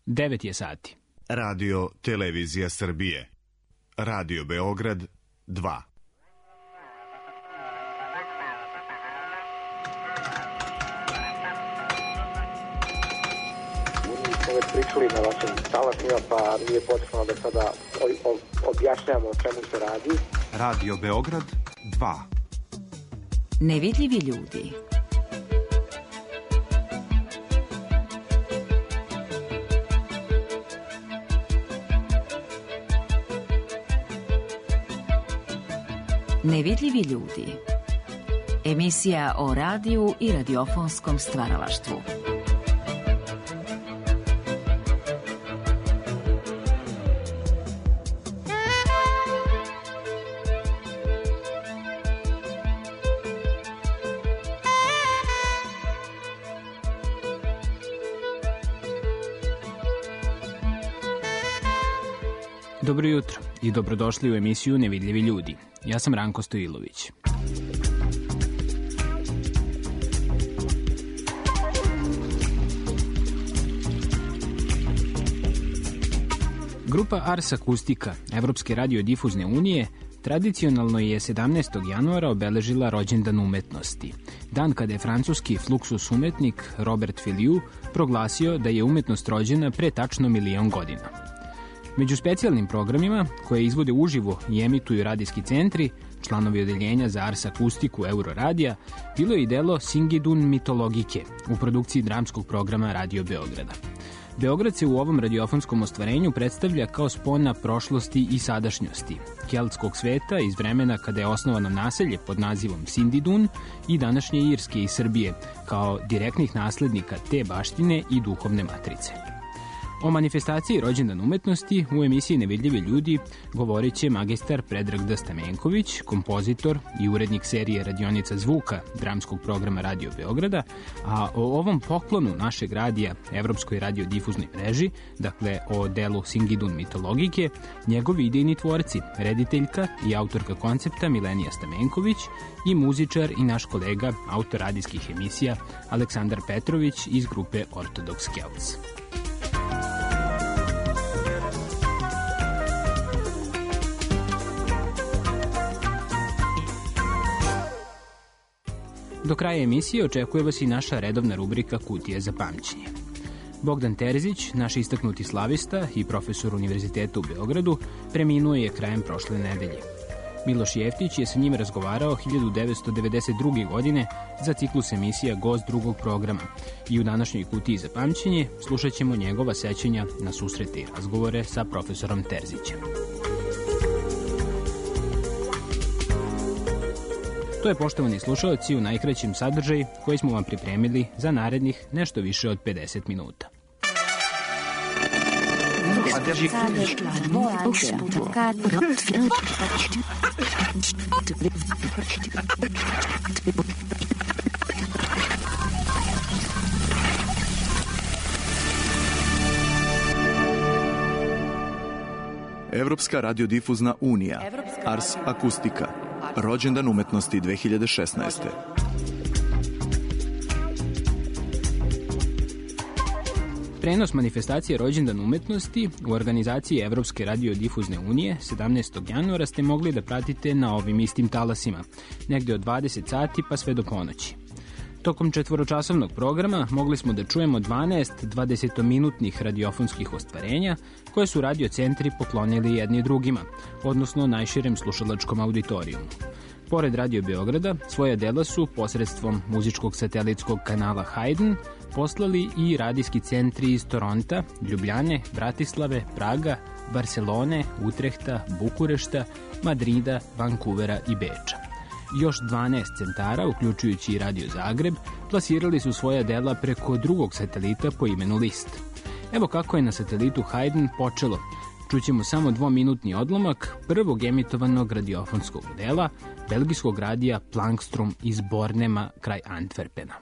9 je sati. Radio Televizija Srbije. Radio Beograd 2. Već pričali na vašim talasima, pa nije potrebno da sada objašnjamo o čemu se radi. Radio Beograd 2. Nevidljivi ljudi. Nevidljivi ljudi. Emisija o radiju i radiofonskom stvaralaštvu. Dobro jutro i dobrodošli u emisiju Nevidljivi ljudi. Ja sam Ranko Stojilović. Grupa Ars Acustica, Evropske radiodifuzne unije, tradicionalno je 17. januara obeležila rođendan umetnosti, dan kada je francuski fluxus umetnik Robert Filliou proglasio da je umetnost rođena pre tačno 1.000.000 godina. Među specijalnim programima, koje izvode uživo i emituju radijski centri, članovi odeljenja za Ars Akustiku Euroradija, bilo je i delo Singidun mitologike u produkciji dramskog programa Radio Beograda. Beograd se u ovom radiofonskom ostvarenju predstavlja kao spona prošlosti i sadašnjosti, keltskog sveta iz vremena kada je osnovano naselje pod nazivom Sindidun i današnje Irske i Srbije, kao direktnih naslednika te baštine i duhovne matrice. O manifestaciji rođendan umetnosti u emisiji Nevidljivi ljudi govorit će magistar Predrag D. Stamenković, kompozitor i urednik serije Radionica zvuka dramskog programa Radio Beograda, a o ovom poklonu našeg radija Evropskoj radiodifuznoj mreži, dakle o delu Singidun mitologike, njegovi idejni tvorci, rediteljka i autorka koncepta Milenija Stamenković i muzičar i naš kolega, autor radijskih emisija Aleksandar Petrović iz grupe Orthodox Celts. Do kraja emisije očekuje vas i naša redovna rubrika Kutija za pamćenje. Bogdan Terzić, naš istaknuti slavista i profesor Univerziteta u Beogradu, preminuo je krajem prošle nedelje. Miloš Jeftić je sa njim razgovarao 1992. godine za ciklus emisija Gost drugog programa i u današnjoj Kutiji za pamćenje slušat ćemo njegova sećanja na susrete i razgovore sa profesorom Terzićem. To je, poštovani slušalci, u najkraćem sadržaju koji smo vam pripremili za narednih nešto više od 50 minuta. Evropska radiodifuzna unija, Ars Acustica, rođendan umetnosti 2016. Prenos manifestacije rođendan umetnosti u organizaciji Evropske radiodifuzne unije 17. januara ste mogli da pratite na ovim istim talasima, negde od 20 sati pa sve do ponoći. Tokom 4-časovnog programa mogli smo da čujemo 12 20-minutnih radiofonskih ostvarenja koje su radiocentri poklonili jedni drugima, odnosno najširem slušalačkom auditorijumu. Pored Radio Beograda, svoja dela su posredstvom muzičkog satelitskog kanala Haydn poslali i radijski centri iz Toronta, Ljubljane, Bratislave, Praga, Barcelone, Utrehta, Bukurešta, Madrida, Vancouvera i Beča. Još 12 centara, uključujući i Radio Zagreb, plasirali su svoja dela preko drugog satelita po imenu List. Evo kako je na satelitu Haydn počelo. Čućemo samo 2-minutni odlomak prvog emitovanog radiofonskog dela belgijskog radija Plankstrom iz Bornema kraj Antwerpena.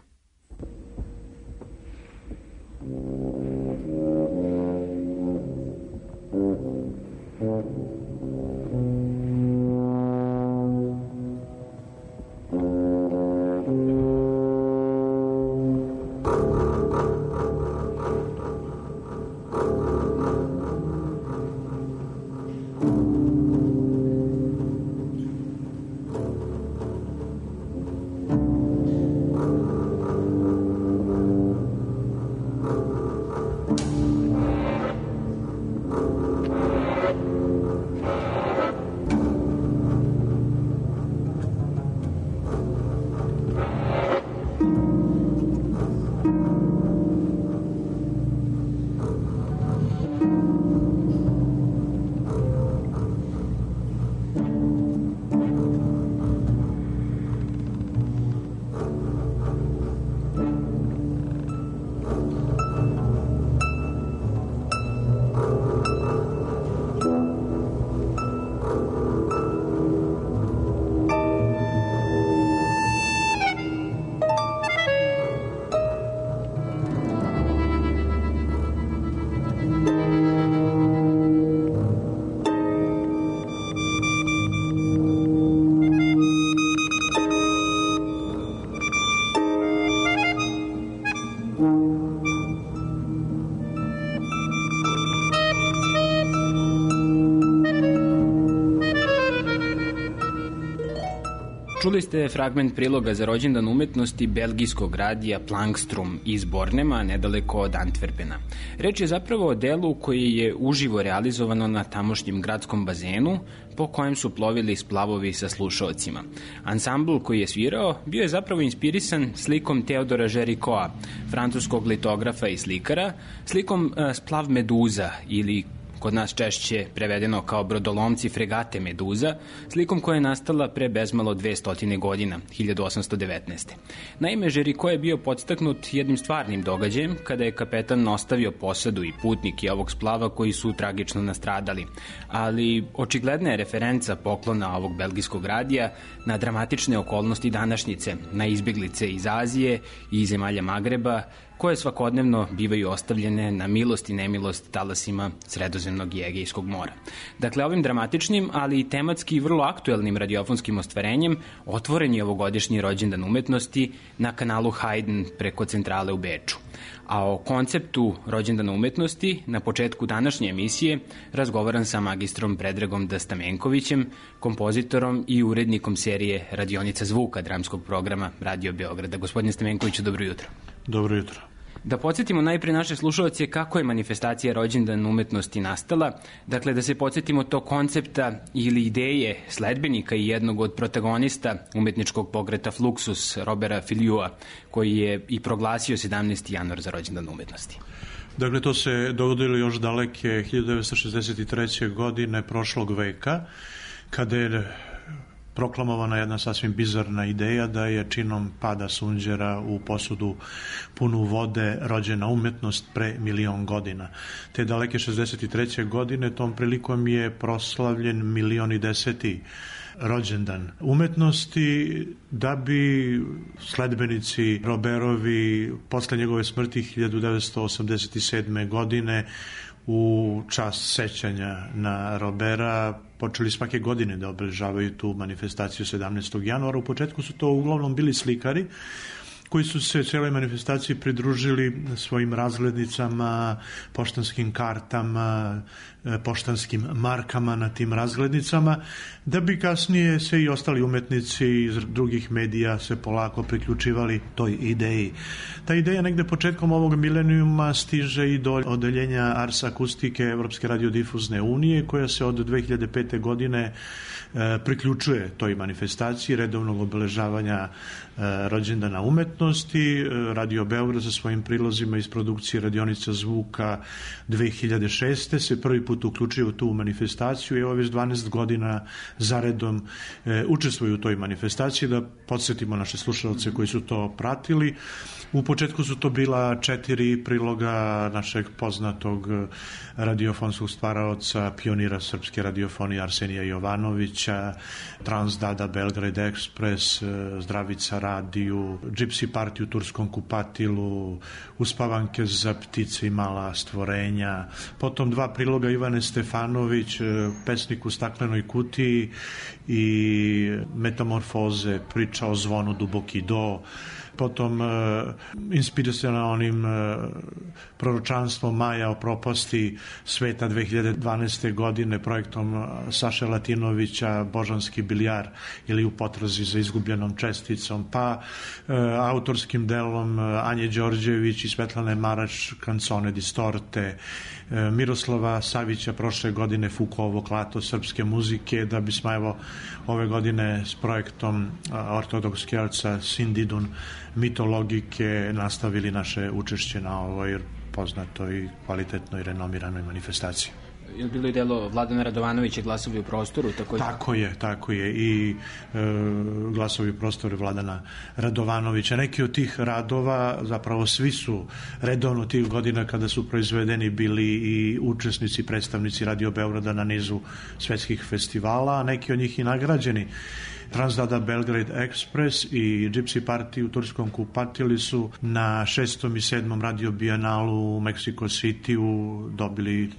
Čuli ste fragment priloga za rođendan umetnosti belgijskog radija Plankstrom iz Bornema, nedaleko od Antwerpena. Reč je zapravo o delu koji je uživo realizovano na tamošnjem gradskom bazenu, po kojem su plovili splavovi sa slušaocima. Ansambl koji je svirao bio je zapravo inspirisan slikom Teodora Géricaulta, francuskog litografa i slikara, slikom Splav Meduza ili kod nas češće prevedeno kao brodolomci fregate Meduza, slikom koja je nastala pre bezmalo 200 godina, 1819. Naime, Géricault je bio podstaknut jednim stvarnim događajem kada je kapetan ostavio posadu i putnike ovog splava koji su tragično nastradali. Ali očigledna je referenca poklona ovog belgijskog radija na dramatične okolnosti današnjice, na izbjeglice iz Azije i zemalja Magreba, koje svakodnevno bivaju ostavljene na milost i nemilost talasima Sredozemnog i Egejskog mora. Dakle, ovim dramatičnim, ali i tematski vrlo aktuelnim radiofonskim ostvarenjem otvoren je ovogodišnji rođendan umetnosti na kanalu Haydn preko centrale u Beču. A o konceptu rođendana umetnosti na početku današnje emisije razgovaram sa magistrom Predragom Stamenkovićem, kompozitorom i urednikom serije Radionica zvuka dramskog programa Radio Beograda. Gospodine Stamenkoviću, dobro jutro. Dobro jutro. Da podsjetimo najprije naše slušalce kako je manifestacija rođendan umetnosti nastala, dakle da se podsjetimo tog koncepta ili ideje sledbenika i jednog od protagonista umetničkog pokreta Fluxus, Roberta Filiua, koji je i proglasio 17. januar za rođendan umetnosti. Dakle, to se dogodilo još daleke 1963. godine prošlog veka, kada je proklamovana jedna sasvim bizarna ideja da je činom pada sunđera u posudu punu vode rođena umetnost pre 1.000.000 godina. Te daleke 63. godine tom prilikom je proslavljen 1.010. rođendan umetnosti, da bi sledbenici Roberovi posle njegove smrti 1987. godine u čast sećanja na Robera počeli svake godine da obeležavaju tu manifestaciju 17. januara. U početku su to uglavnom bili slikari koji su se cijeloj manifestaciji pridružili svojim razglednicama, poštanskim kartama, poštanskim markama na tim razglednicama, da bi kasnije se i ostali umetnici iz drugih medija se polako priključivali toj ideji. Ta ideja negde početkom ovog milenijuma stiže i do odeljenja Ars Akustike Evropske radiodifuzne unije, koja se od 2005. godine priključuje toj manifestaciji redovnog obeležavanja rođendana umetnosti. Radio Beograd sa svojim prilozima iz produkcije Radionica zvuka 2006. se prvi put uključio u tu manifestaciju i evo već 12 godina zaredom učestvuju u toj manifestaciji. Da podsjetimo naše slušalce koji su to pratili. U početku su to bila 4 priloga našeg poznatog radiofonskog stvaraoca, pionira srpske radiofonije Arsenija Jovanovića, Transdada, Belgrade Express, Zdravica radiju, Gypsy Party u Turskom kupatilu, Uspavanke za ptice i mala stvorenja, potom 2 priloga Ivane Stefanović, Pesnik u staklenoj kutiji i Metamorfoze, priča o zvonu Duboki do, potom inspiracionalnim proročanstvom Maja o propasti sveta 2012. godine projektom Saše Latinovića Božanski biljar ili U potrazi za izgubljenom česticom, pa autorskim delom Anje Đorđević i Svetlane Marač Canzone distorte, Miroslava Savića prošle godine Fukovo klato srpske muzike, da bismo evo ove godine s projektom ortodokskelca Sindidun mitologike nastavili naše učešće na ovoj poznatoj, kvalitetnoj i renomiranoj manifestaciji. Je bilo i delo Vladana Radovanovića Glasovi u prostoru? Tako je i Glasovi u prostoru Vladana Radovanovića. Neki od tih radova, zapravo svi su redovno tih godina kada su proizvedeni bili i učesnici, predstavnici Radio Beograda na nizu svetskih festivala, a neki od njih i nagrađeni. Transdada Belgrade Express i Gypsy Party u turskom kupatili su na 6. i 7. Radio Bijenalu u Mexico City-u dobili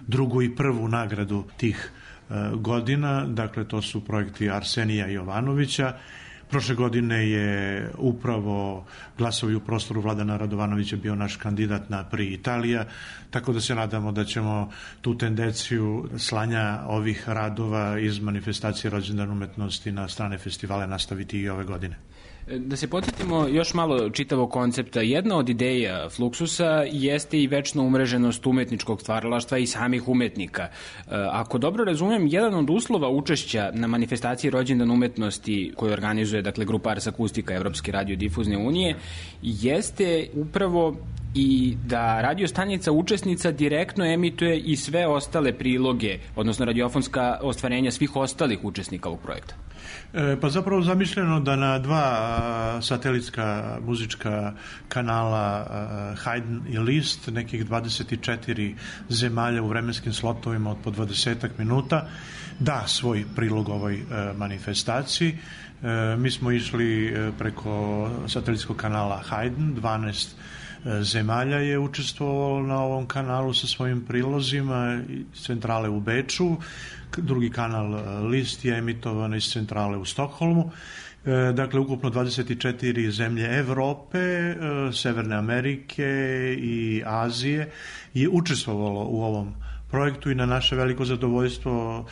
drugu i prvu nagradu tih godina. Dakle, to su projekti Arsenija Jovanovića. Prošle godine je upravo Glasovi u prostoru Vladana Radovanovića bio naš kandidat na Prix Italija, tako da se nadamo da ćemo tu tendenciju slanja ovih radova iz manifestacije Rođendan umetnosti na strane festivale nastaviti i ove godine. Da se podsjetimo još malo čitavog koncepta, jedna od ideja Fluxusa jeste i večno umreženost umetničkog stvaralaštva i samih umetnika. Ako dobro razumem, jedan od uslova učešća na manifestaciji Rođendan umetnosti koju organizuje grupa Ars Akustika Evropske radiodifuzne unije jeste upravo i da radio stanica učesnica direktno emituje i sve ostale priloge, odnosno radiofonska ostvarenja svih ostalih učesnika ovog projekta. Pa zapravo zamišljeno da na dva satelitska muzička kanala Haydn i Liszt, nekih 24 zemalja u vremenskim slotovima od po 20 minuta, da svoj prilog ovoj manifestaciji. Mi smo išli preko satelitskog kanala Haydn, 12 zemalja je učestvovalo na ovom kanalu sa svojim prilozima, centrale u Beču, drugi kanal Liszt je emitovan iz centrale u Stokholmu. Dakle, ukupno 24 zemlje Evrope, Severne Amerike i Azije je učestvovalo u ovom projektu i na naše veliko zadovoljstvo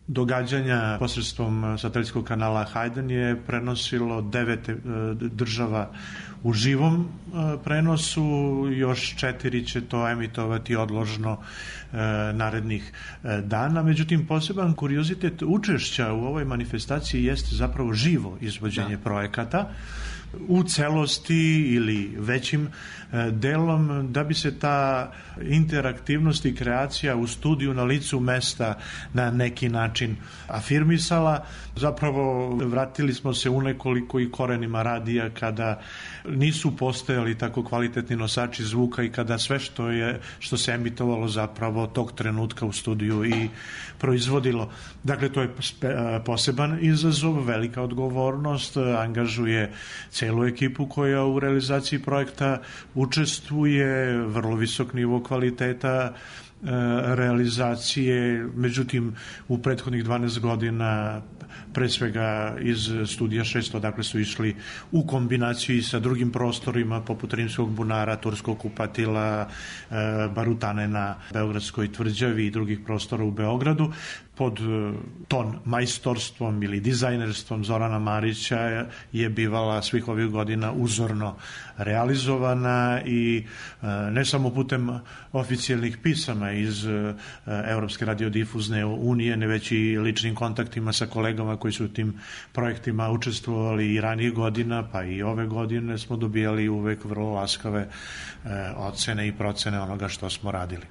događanja posredstvom satelitskog kanala Haydn je prenosilo 9 država u živom prenosu, još 4 će to emitovati odložno narednih dana. Međutim, poseban kuriozitet učešća u ovoj manifestaciji jeste zapravo živo izvođenje projekata u celosti ili većim delom, da bi se ta interaktivnost i kreacija u studiju na licu mesta na neki način afirmisala. Zapravo vratili smo se u nekoliko i korenima radija kada nisu postojali tako kvalitetni nosači zvuka i kada sve što se emitovalo zapravo tog trenutka u studiju i proizvodilo. Dakle, to je poseban izazov, velika odgovornost, angažuje celu ekipu koja u realizaciji projekta učestvuje, vrlo visok nivo kvaliteta realizacije. Međutim, u prethodnih 12 godina pre svega iz studija 600, dakle su išli u kombinaciji sa drugim prostorima poput Rimskog bunara, Turskog kupatila, Barutane na Beogradskoj tvrđavi i drugih prostora u Beogradu. Pod ton majstorstvom ili dizajnerstvom Zorana Marića je bivala svih ovih godina uzorno realizovana i ne samo putem oficijalnih pisama iz Evropske radiodifuzne unije, ne već i ličnim kontaktima sa kolegama koji su u tim projektima učestvovali i ranijih godina, pa i ove godine smo dobijali uvek vrlo laskave ocene i procene onoga što smo radili.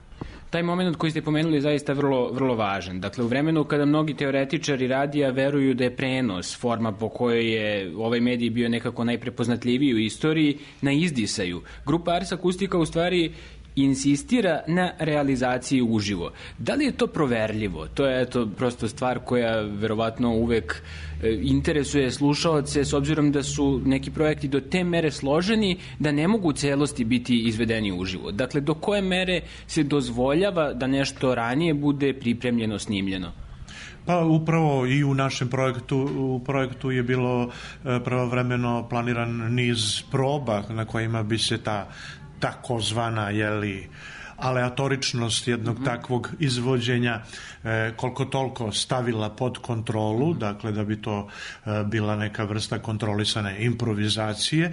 Taj moment koji ste pomenuli je zaista vrlo, vrlo važan. Dakle, u vremenu kada mnogi teoretičari radija veruju da je prenos forma po kojoj je ovaj medij bio nekako najprepoznatljiviji u istoriji, na izdisaju. Grupa Ars Akustika u stvari insistira na realizaciji uživo. Da li je to proverljivo? To je prosto stvar koja verovatno uvek interesuje slušaoce, s obzirom da su neki projekti do te mere složeni da ne mogu u celosti biti izvedeni uživo. Dakle, do koje mere se dozvoljava da nešto ranije bude pripremljeno, snimljeno? Pa upravo i u našem projektu je bilo pravovremeno planiran niz proba na kojima bi se ta takozvana aleatoričnost jednog takvog izvođenja koliko toliko stavila pod kontrolu, dakle da bi to bila neka vrsta kontrolisane improvizacije,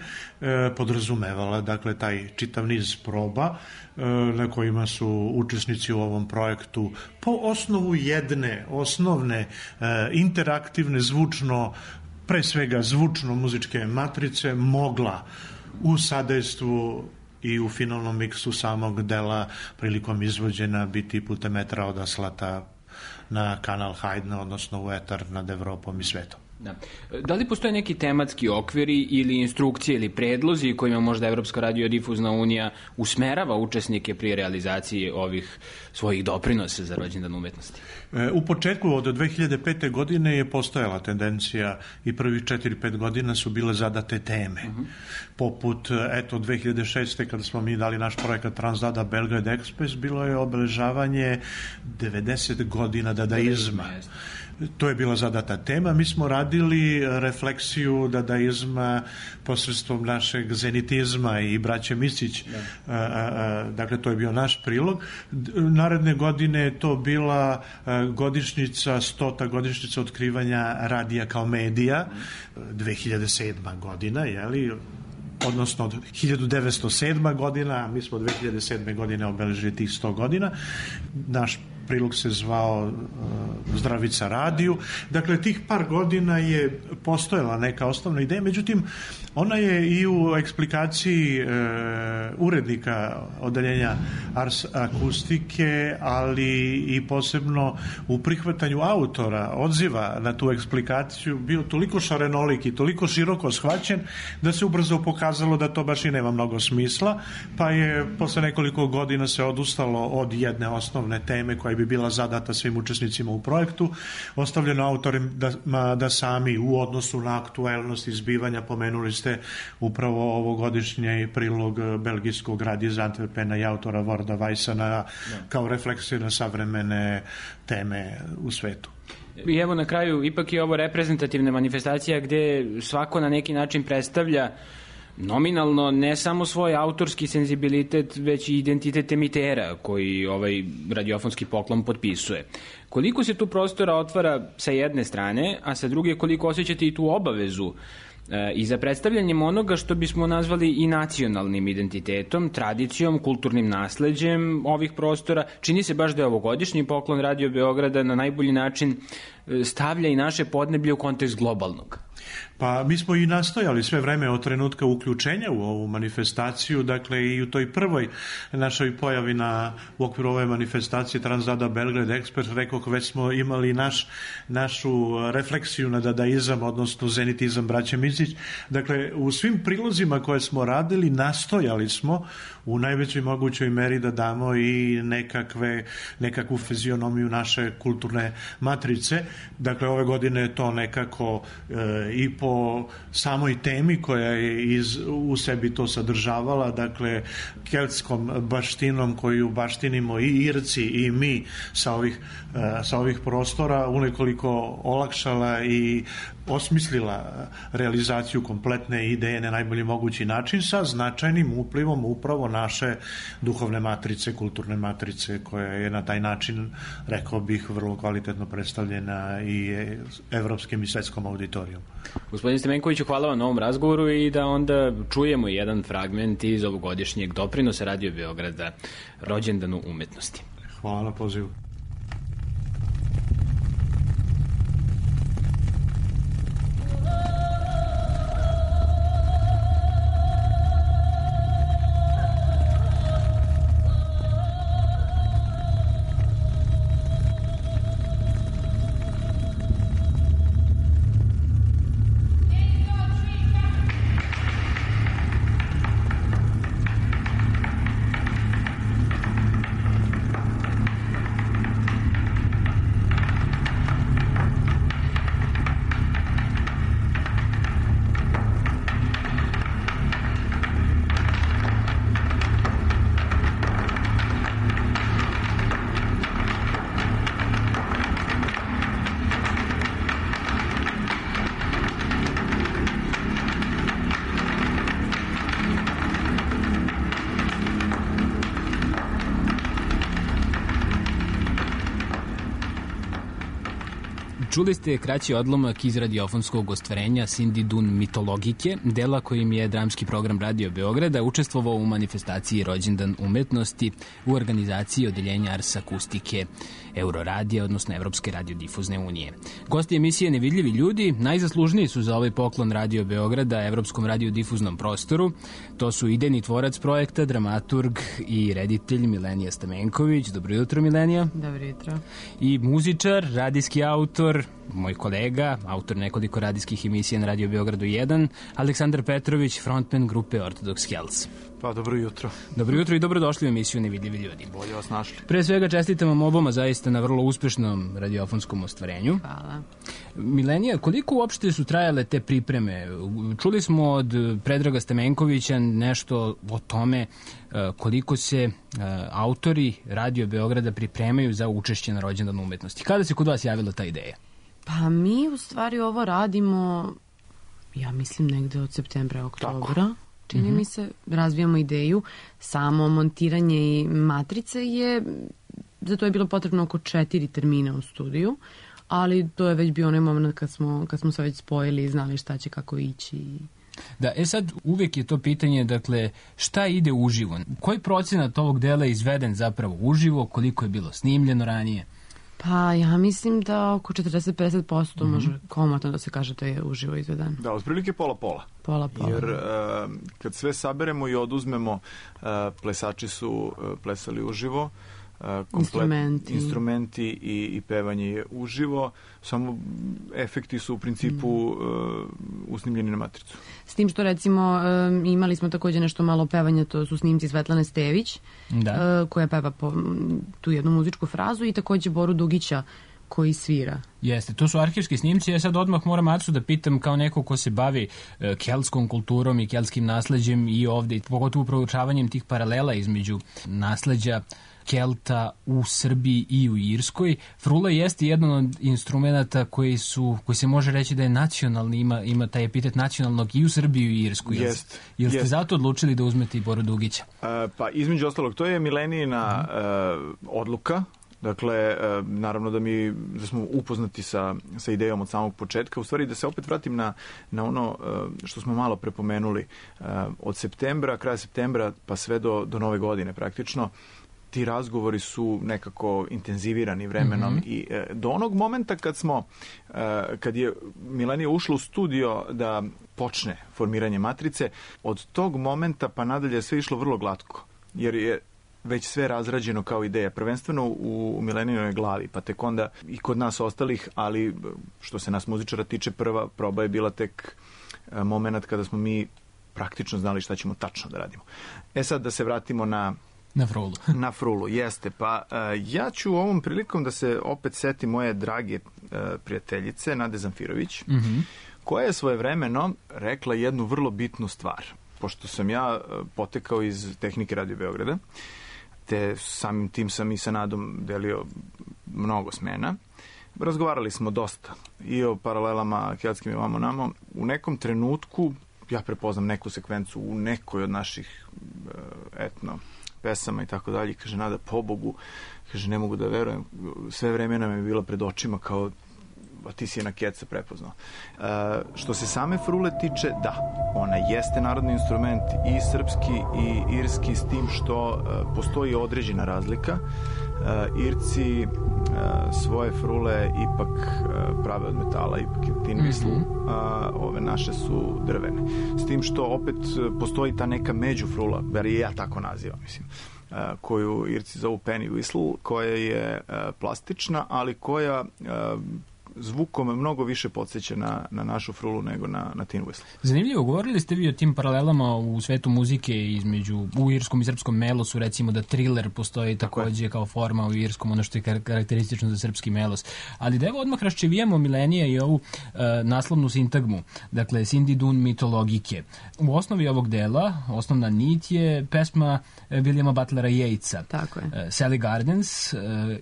podrazumevala dakle taj čitav niz proba na kojima su učesnici u ovom projektu po osnovu jedne osnovne interaktivne pre svega zvučno muzičke matrice mogla u sadejstvu i u finalnom miksu samog dela prilikom izvođena biti putem metra odaslata na kanal Haydna, odnosno u etar nad Evropom i svetom. Da li postoje neki tematski okviri ili instrukcije ili predlozi kojima možda Evropska radiodifuzna unija usmerava učesnike pri realizaciji ovih svojih doprinosa za rođendan umetnosti? U početku od 2005. godine je postojala tendencija i prvih 4-5 godina su bile zadate teme. Poput, 2006. kada smo mi dali naš projekat Transdada Belgrade Express, bilo je obeležavanje 90 godina dadaizma. To je bila zadata tema. Mi smo radili refleksiju dadaizma posredstvom našeg zenitizma i braće Misić. Dakle, to je bio naš prilog. Naredne godine je to bila godišnjica, 100. godišnjica otkrivanja radija kao medija, 2007. godina, odnosno 1907. godina, a mi smo 2007. godine obeležili tih 100 godina. Naš prilog se zvao Zdravica radiju. Dakle, tih par godina je postojala neka osnovna ideja, međutim, ona je i u eksplikaciji urednika odeljenja Ars akustike, ali i posebno u prihvatanju autora, odziva na tu eksplikaciju, bio toliko šarenolik i toliko široko shvaćen da se ubrzo pokazalo da to baš i nema mnogo smisla, pa je posle nekoliko godina se odustalo od jedne osnovne teme koja bi bila zadata svim učesnicima u projektu, ostavljeno autorima da sami u odnosu na aktuelnost izbivanja, pomenuli ste upravo ovogodišnji prilog belgijskog radija iz Antwerpena i autora Warda Weissana kao refleksiju na savremene teme u svetu. I evo na kraju, ipak je ovo reprezentativna manifestacija gde svako na neki način predstavlja nominalno ne samo svoj autorski senzibilitet, već i identitet emitera koji ovaj radiofonski poklon potpisuje. Koliko se tu prostora otvara sa jedne strane, a sa druge koliko osjećate i tu obavezu i za predstavljanjem onoga što bismo nazvali i nacionalnim identitetom, tradicijom, kulturnim nasleđem ovih prostora. Čini se baš da je ovogodišnji poklon Radio Beograda na najbolji način stavlja i naše podneblje u kontekst globalnog. Pa mi smo i nastojali sve vreme od trenutka uključenja u ovu manifestaciju, dakle i u toj prvoj našoj pojavi u okviru ove manifestacije Transdada Belgrade Express, rekoh, već smo imali našu refleksiju na dadaizam, odnosno zenitizam braće Misić. Dakle, u svim prilozima koje smo radili nastojali smo u najvećoj mogućoj meri da damo i nekakvu fizionomiju naše kulturne matrice. Dakle, ove godine je to nekako i po samoj temi koja je u sebi to sadržavala, dakle keltskom baštinom koju baštinimo i Irci i mi sa ovih prostora, unekoliko olakšala i osmislila realizaciju kompletne ideje na najbolji mogući način sa značajnim uplivom upravo naše duhovne matrice, kulturne matrice, koja je na taj način, rekao bih, vrlo kvalitetno predstavljena i evropskim i svetskom auditorijom. Gospodin Stemenkoviću, hvala vam na ovom razgovoru i da onda čujemo jedan fragment iz ovogodišnjeg doprinosa Radio Beograda rođendanu umetnosti. Hvala na pozivu. Čuli ste kraći odlomak iz radiofonskog ostvarenja Cindy Dunn Mitologike, dela kojim je dramski program Radio Beograda učestvovao u manifestaciji Rođendan umetnosti u organizaciji odeljenja Ars Akustike Euroradija, odnosno Evropske radiodifuzne unije. Gosti emisije Nevidljivi ljudi najzaslužniji su za ovaj poklon Radio Beograda Evropskom radiodifuznom prostoru. To su idejni tvorac projekta, dramaturg i reditelj Milenija Stamenković. Dobro jutro, Milenija. Dobro jutro. I muzičar, radijski autor, moj kolega, autor nekoliko radijskih emisija na Radio Beogradu 1, Aleksandar Petrović, frontman grupe Orthodox Hells. Pa, dobro jutro. Dobro jutro i dobrodošli u emisiju Nevidljivi ljudi. Bolje vas našli. Pre svega čestitam vam oboma zaista na vrlo uspešnom radiofonskom ostvarenju. Hvala. Milenija, koliko uopšte su trajale te pripreme? Čuli smo od Predraga Stamenkovića nešto o tome koliko se autori Radio Beograda pripremaju za učešće na Rođendanu umetnosti. Kada se kod vas javila ta ideja? Pa mi u stvari ovo radimo, ja mislim negde od septembra, oktobra. Čini mi se, razvijamo ideju. Samo montiranje i matrice za to je bilo potrebno oko 4 termina u studiju, ali to je već bio onaj moment kad smo se već spojili i znali šta će kako ići. Da, sad uvek je to pitanje, dakle, šta ide uživo? Koji procenat ovog dela je izveden zapravo uživo, koliko je bilo snimljeno ranije? Pa ja mislim da oko 40-50% može komotno da se kaže da je uživo izvedan. Da, otprilike pola-pola. Pola-pola. Jer kad sve saberemo i oduzmemo, plesači su plesali uživo, instrumenti i pevanje je uživo, samo efekti su u principu usnimljeni na matricu. S tim što recimo imali smo takođe nešto malo pevanja, to su snimci Svetlane Stević, koja peva tu jednu muzičku frazu, i takođe Boru Dugića koji svira. Jeste, to su arhivski snimci. Ja sad odmah moram Acu da pitam, kao neko ko se bavi keltskom kulturom i keltskim nasleđem i ovde, pogotovo proučavanjem tih paralela između nasleđa Kelta u Srbiji i u Irskoj. Frula jeste jedan od instrumenta koji se može reći da je nacionalni, ima taj epitet nacionalnog i u Srbiji i u Irskoj. Jel ste zato odlučili da uzmete i Boru Dugića? Pa između ostalog, to je Milenijina odluka. Dakle, naravno da smo upoznati sa idejom od samog početka. U stvari, da se opet vratim na ono što smo malo prepomenuli. Od septembra, kraja septembra, pa sve do nove godine praktično, ti razgovori su nekako intenzivirani vremenom i do onog momenta kad je Milenija ušla u studio da počne formiranje matrice, od tog momenta pa nadalje sve išlo vrlo glatko, jer je već sve razrađeno kao ideja, prvenstveno u Milenijinoj glavi, pa tek onda i kod nas ostalih, ali što se nas muzičara tiče, prva proba je bila tek moment kada smo mi praktično znali šta ćemo tačno da radimo. Sad da se vratimo na Frulu. Na Frulu, jeste. Pa ja ću ovom prilikom da se opet setim moje drage prijateljice Nade Zamfirović, koja je svojevremeno rekla jednu vrlo bitnu stvar. Pošto sam ja potekao iz tehnike Radio Beograda, te samim tim sam i sa Nadom delio mnogo smena, razgovarali smo dosta i o paralelama keltskim i vamo namo. U nekom trenutku ja prepoznam neku sekvencu u nekoj od naših etno pesama i tako dalje. Kaže, Nada, pobogu, kaže, ne mogu da verujem, sve vreme nam je bila pred očima kao, a ti si je na keca prepoznao. Što se same frule tiče, da, ona jeste narodni instrument i srpski i irski, s tim što postoji određena razlika. Irci svoje frule ipak prave od metala, ipak je tin whistle, ove naše su drvene. S tim što opet postoji ta neka međufrula, bar je ja tako nazivam, mislim, koju Irci zovu penny whistle, koja je plastična, ali koja zvukom mnogo više podsjeća na našu frulu nego na tin whistle. Zanimljivo, govorili ste vi o tim paralelama u svetu muzike u irskom i srpskom melosu, recimo da thriller postoji takođe kao forma u irskom, ono što je karakteristično za srpski melos. Ali da evo odmah raščevijamo Milenija i ovu naslovnu sintagmu, dakle Cindy Dunn Mitologike. U osnovi ovog dela, osnovna nit je pesma Williama Butlera Yeatsa. Tako je. Sally Gardens,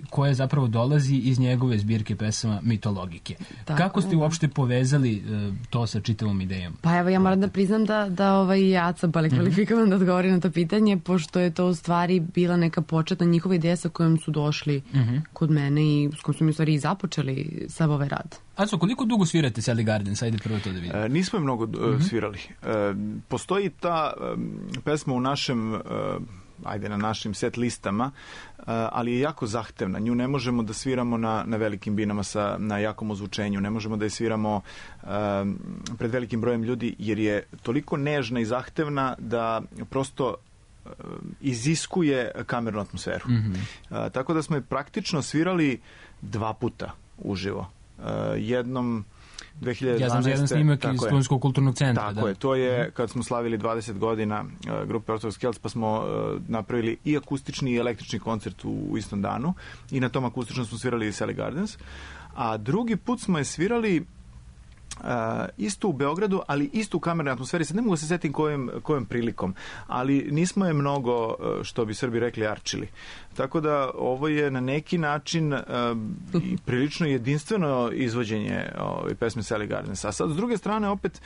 koja zapravo dolazi iz njegove zbirke pesama Mitologije. logike. Tako, kako ste uopšte povezali to sa čitavom idejom? Pa evo, ja moram da priznam da ja sam kvalifikovan da odgovorim na to pitanje, pošto je to u stvari bila neka početna njihova ideja sa kojom su došli kod mene i s kojom su mi u stvari i započeli sav ovaj rad. Aco, koliko dugo svirate Sally Gardens? Ajde prvo to da vidim. Nismo je mnogo svirali. Postoji ta pesma u našem, na našim set listama, ali je jako zahtevna. Nju ne možemo da sviramo na velikim binama na jakom ozvučenju. Ne možemo da je sviramo pred velikim brojem ljudi, jer je toliko nežna i zahtevna da prosto iziskuje kamernu atmosferu. Tako da smo je praktično svirali 2 puta uživo. Jednom 2012. Ja znam za jedan snimak iz Studentskog kulturnog centra. Tako je, to je kad smo slavili 20 godina grupe Orthodox Celts, pa smo napravili i akustični i električni koncert u istom danu i na tom akustičnom smo svirali Sally Gardens. A drugi put smo je svirali isto u Beogradu, ali isto u kamernoj atmosferi. Sad ne mogu da se setim kojom prilikom, ali nismo je mnogo, što bi Srbi rekli, arčili. Tako da ovo je na neki način prilično jedinstveno izvođenje pesme Sally Gardens. A sad, s druge strane, opet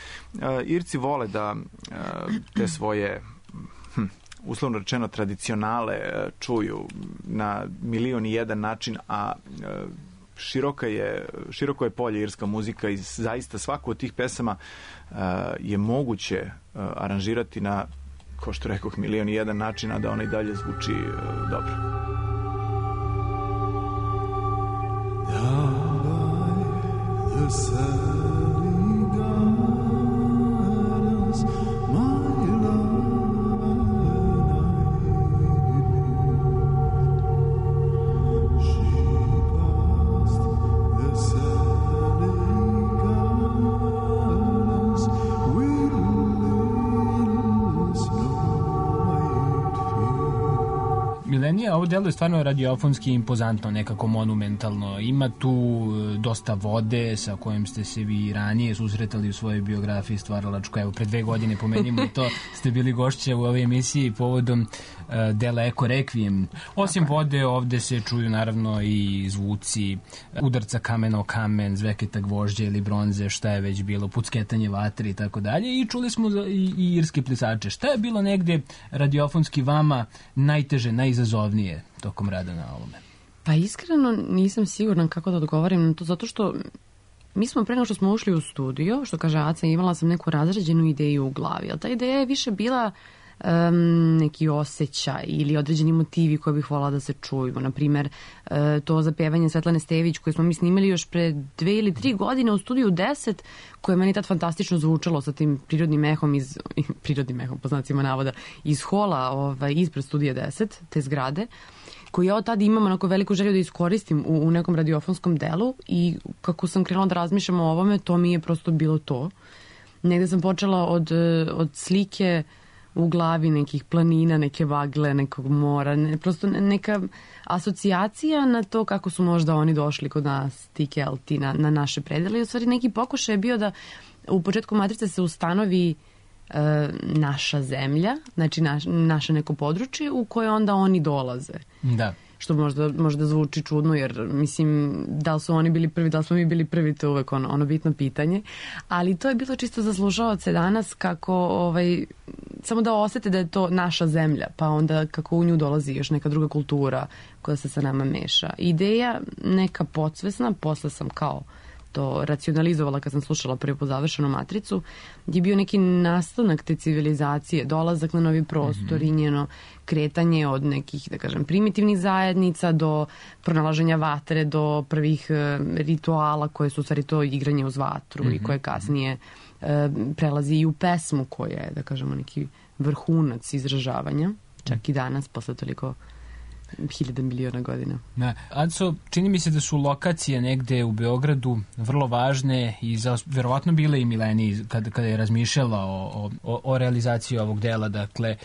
Irci vole da te svoje uslovno rečeno tradicionale čuju na 1.000.001 način, a široko je polje irska muzika i zaista svaku od tih pesama je moguće aranžirati na, kao što rekoh, 1.000.001 način, a da ona i dalje zvuči dobro. Ovo delo je stvarno radiofonski impozantno, nekako monumentalno. Ima tu dosta vode sa kojim ste se vi ranije susretali u svojoj biografiji stvaralačkoj. Evo, pre 2 godine, pomenimo to, ste bili gošća u ovoj emisiji povodom dela Eko Requiem. Osim vode, ovde se čuju naravno i zvuci udarca kamena o kamen, zveketa gvožđa ili bronze, šta je već bilo, pucketanje vatri i tako dalje. I čuli smo i irske plisače. Šta je bilo negde radiofonski vama najteže, najizazovnije tokom rada na ovome? Pa iskreno nisam sigurna kako da odgovorim na to, zato što mi smo pre nego što smo ušli u studio, što kaže Aca, imala sam neku razređenu ideju u glavi, ali ta ideja je više bila neki osjećaj ili određeni motivi koje bih volala da se čuju. Naprimer, to zapevanje Svetlane Stević koje smo mi snimali još pre 2 ili 3 godine u studiju 10, koje je meni tad fantastično zvučalo sa tim prirodnim ehom po znacima navoda, iz hola ispred studija 10, te zgrade, koju ja od tada imam onako veliku želju da iskoristim u nekom radiofonskom delu i kako sam krenula da razmišljam o ovome, to mi je prosto bilo to. Negde sam počela od slike u glavi nekih planina, neke vagle, nekog mora, prosto neka asocijacija na to kako su možda oni došli kod nas, ti Kelti, na naše predele. I u stvari neki pokušaj je bio da u početku Matrice se ustanovi naša zemlja, znači naše neko područje u koje onda oni dolaze. Da. Što možda zvuči čudno, jer mislim, da li su oni bili prvi, da li smo mi bili prvi, to je uvek ono bitno pitanje. Ali to je bilo čisto za slušaoce danas, kako samo da osete da je to naša zemlja, pa onda kako u nju dolazi još neka druga kultura koja se sa nama meša. Ideja neka podsvesna, posle sam kao to racionalizovala kad sam slušala prvi po završenu Matricu, je bio neki nastanak te civilizacije, dolazak na novi prostor i njeno kretanje od nekih, da kažem, primitivnih zajednica do pronalaženja vatre, do prvih rituala koje su u stvari to igranje uz vatru i koje kasnije prelazi i u pesmu koja je, da kažemo, neki vrhunac izražavanja, čak i danas, posle toliko 1000 miliona godina. Aco, čini mi se da su lokacije negde u Beogradu vrlo važne i verovatno bile i Mileni kada je razmišljala o realizaciji ovog dela. Dakle,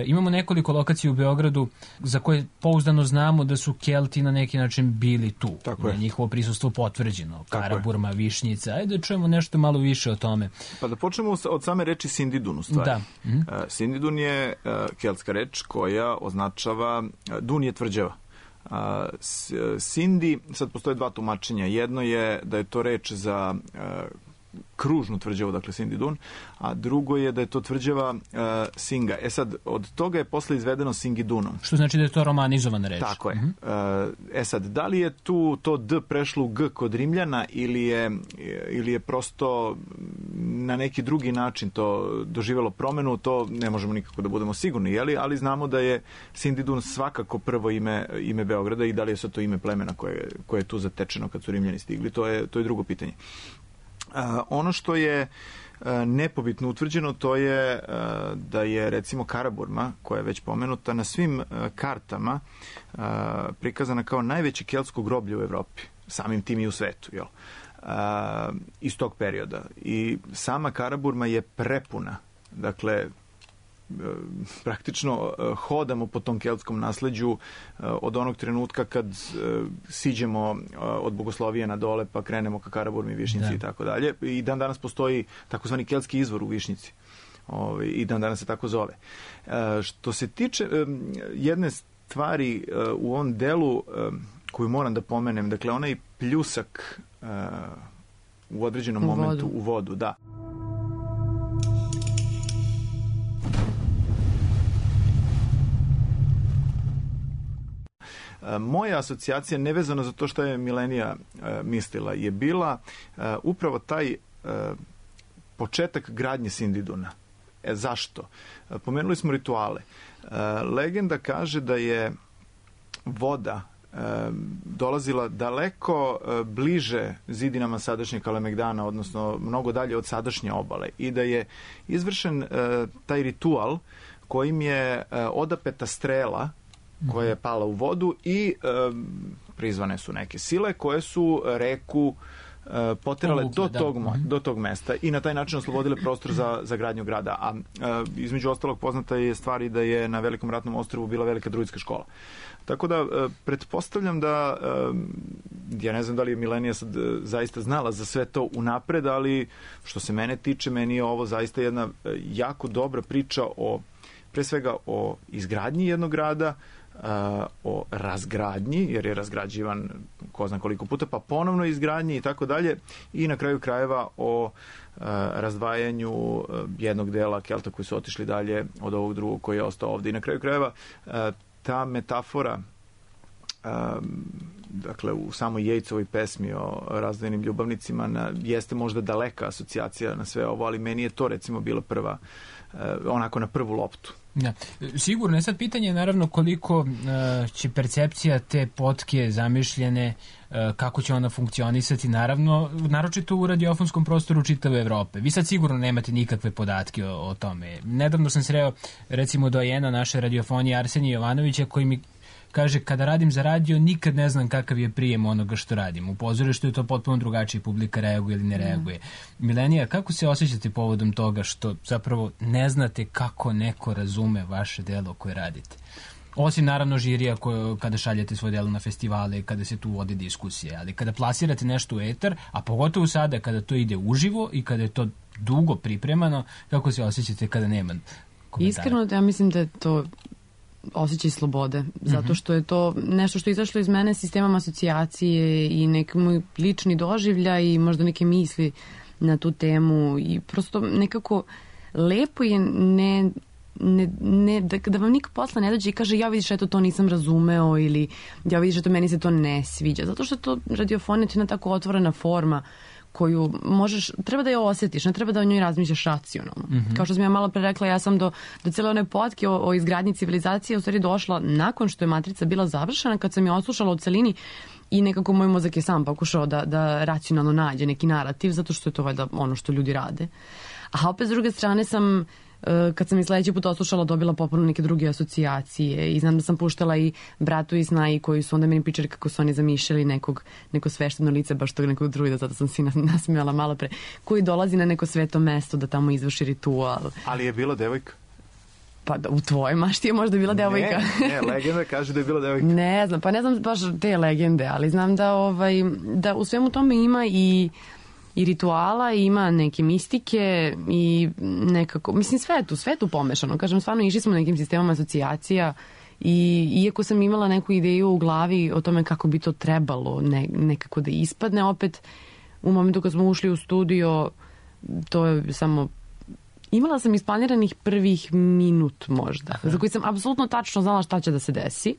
imamo nekoliko lokacija u Beogradu za koje pouzdano znamo da su Kelti na neki način bili tu. Tako je. Njihovo prisustvo potvrđeno. Karaburma, Višnjica. Ajde da čujemo nešto malo više o tome. Pa da počnemo od same reči Sindidun u stvari. Da. Sindidun je keltska reč koja označava, Dun je tvrđava. Sindi, sad postoje dva tumačenja. Jedno je da je to reč za kružnu tvrđavu, dakle Sindi Dun, a drugo je da je to tvrđava Singa. Sad, od toga je posle izvedeno Singidunom. Što znači da je to romanizovana reč. Tako je. Sad, da li je tu to D prešlo u G kod Rimljana ili je prosto na neki drugi način to doživelo promenu, to ne možemo nikako da budemo sigurni, jeli? Ali znamo da je Sindi Dun svakako prvo ime Beograda i da li je sad to ime plemena koje je tu zatečeno kad su Rimljani stigli, to je drugo pitanje. Ono što je nepobitno utvrđeno, to je da je recimo Karaburma, koja je već pomenuta, na svim kartama prikazana kao najveće keltsko groblje u Evropi, samim tim i u svetu, jel? Iz tog perioda. I sama Karaburma je prepuna, dakle, praktično hodamo po tom keltskom nasleđu od onog trenutka kad siđemo od Bogoslovije na dole pa krenemo ka Karaburmi, Višnjici i tako dalje. I dan danas postoji takozvani keltski izvor u Višnjici. I dan danas se tako zove. Što se tiče jedne stvari u ovom delu koju moram da pomenem, dakle onaj pljusak u određenom momentu u vodu, da. Moja asocijacija, nevezano za to što je Milenija mislila, je bila upravo taj početak gradnje Sindiduna. Zašto? Pomenuli smo rituale. Legenda kaže da je voda dolazila daleko bliže zidinama sadašnjeg Kalemegdana, odnosno mnogo dalje od sadašnje obale, i da je izvršen taj ritual kojim je odapeta strela koja je pala u vodu i prizvane su neke sile koje su reku poterale do tog mesta i na taj način oslobodile prostor za gradnju grada. A između ostalog poznata je stvar i da je na Velikom ratnom ostrvu bila velika druidska škola. Tako da pretpostavljam da, ja ne znam da li je Milenija sad zaista znala za sve to unapred, ali što se mene tiče, meni je ovo zaista jedna jako dobra priča pre svega o izgradnji jednog grada, o razgradnji, jer je razgrađivan ko zna koliko puta, pa ponovno izgradnji i tako dalje, i na kraju krajeva o razdvajanju jednog dela Kelta koji su otišli dalje od ovog drugog koji je ostao ovde. I na kraju krajeva ta metafora, dakle u samoj Jejcovoj pesmi o razdvojenim ljubavnicima jeste možda daleka asocijacija na sve ovo, ali meni je to recimo bila prva, onako na prvu loptu. Da. Sigurno je sad pitanje naravno koliko će percepcija te potke zamišljene, kako će ona funkcionisati, naravno, naročito u radiofonskom prostoru čitave Evrope. Vi sad sigurno nemate nikakve podatke o tome. Nedavno sam sreo recimo dojena naše radiofonije Arsenija Jovanovića koji mi kaže, kada radim za radio, nikad ne znam kakav je prijem onoga što radim. U pozorištu je to potpuno drugačije, publika reaguje ili ne reaguje. Milenija, kako se osjećate povodom toga što zapravo ne znate kako neko razume vaše delo koje radite? Osim naravno žirija kada šaljete svoje delo na festivale, kada se tu vode diskusije, ali kada plasirate nešto u etar, a pogotovo sada kada to ide uživo i kada je to dugo pripremano, kako se osjećate kada nema komentara? Iskreno, ja mislim da je to osjećaj slobode, zato što je to nešto što je izašlo iz mene sistemom asocijacije i neki moj lični doživljaj i možda neke misli na tu temu i prosto nekako lepo je da vam niko posle ne dođe i kaže ja vidiš eto to nisam razumeo ili ja vidiš eto meni se to ne sviđa, zato što to radiofonija je jedna tako otvorena forma koju treba da je osjetiš, ne treba da o njoj razmišljaš racionalno. Kao što sam ja malo pre rekla, ja sam do cele one potke o izgradnji civilizacije u stvari došla nakon što je Matrica bila završena, kad sam je odslušala u celini i nekako moj mozak je sam pokušao da racionalno nađe neki narativ, zato što je to valjda ono što ljudi rade. A opet s druge strane sam, kad sam i sledeći put oslušala, dobila popuno neke druge asocijacije i znam da sam puštala i Bratu i Snaji koji su onda meni pričali kako su oni zamišljali neko svešteno lice, baš tog nekog druida, zato sam se nasmijala malo pre, koji dolazi na neko sveto mesto da tamo izvrši ritual. Ali je bila devojka? Pa u tvojoj mašti je možda bila devojka. Ne, legenda kaže da je bila devojka. Ne znam, pa ne znam baš te legende, ali znam da u svemu tome ima i rituala, ima neke mistike i nekako, mislim sve je tu pomešano. Kažem, stvarno išli smo nekim sistemom asocijacija I iako sam imala neku ideju u glavi o tome kako bi to trebalo nekako da ispadne, opet u momentu kad smo ušli u studio, to je samo... Imala sam isplaniranih prvih minut možda, za koji sam apsolutno tačno znala šta će da se desi.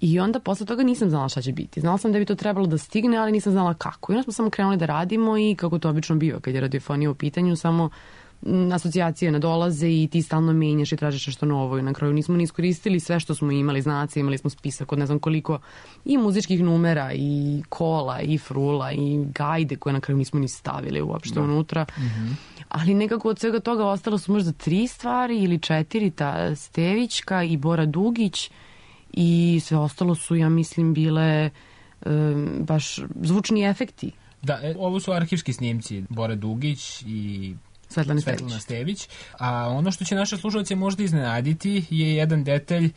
I onda posle toga nisam znala šta će biti. Znala sam da bi to trebalo da stigne, ali nisam znala kako. I onda smo samo krenuli da radimo i kako to obično biva kad je radiofonija u pitanju, samo asocijacije nadolaze i ti stalno menjaš i tražiš nešto novo i na kraju nismo ni iskoristili sve što smo imali, znaci, imali smo spisak od ne znam koliko i muzičkih numera i kola i frula i gajde koje na kraju nismo ni stavili uopšte unutra. Ali nekako od svega toga ostalo su možda 3 stvari ili 4, ta Stevićka i Bora Dugić i sve ostalo su, ja mislim, bile baš zvučni efekti. Da, ovo su arhivski snimci Bora Dugić i Svetlana Stević. A ono što će naše slušalce možda iznenaditi je jedan detalj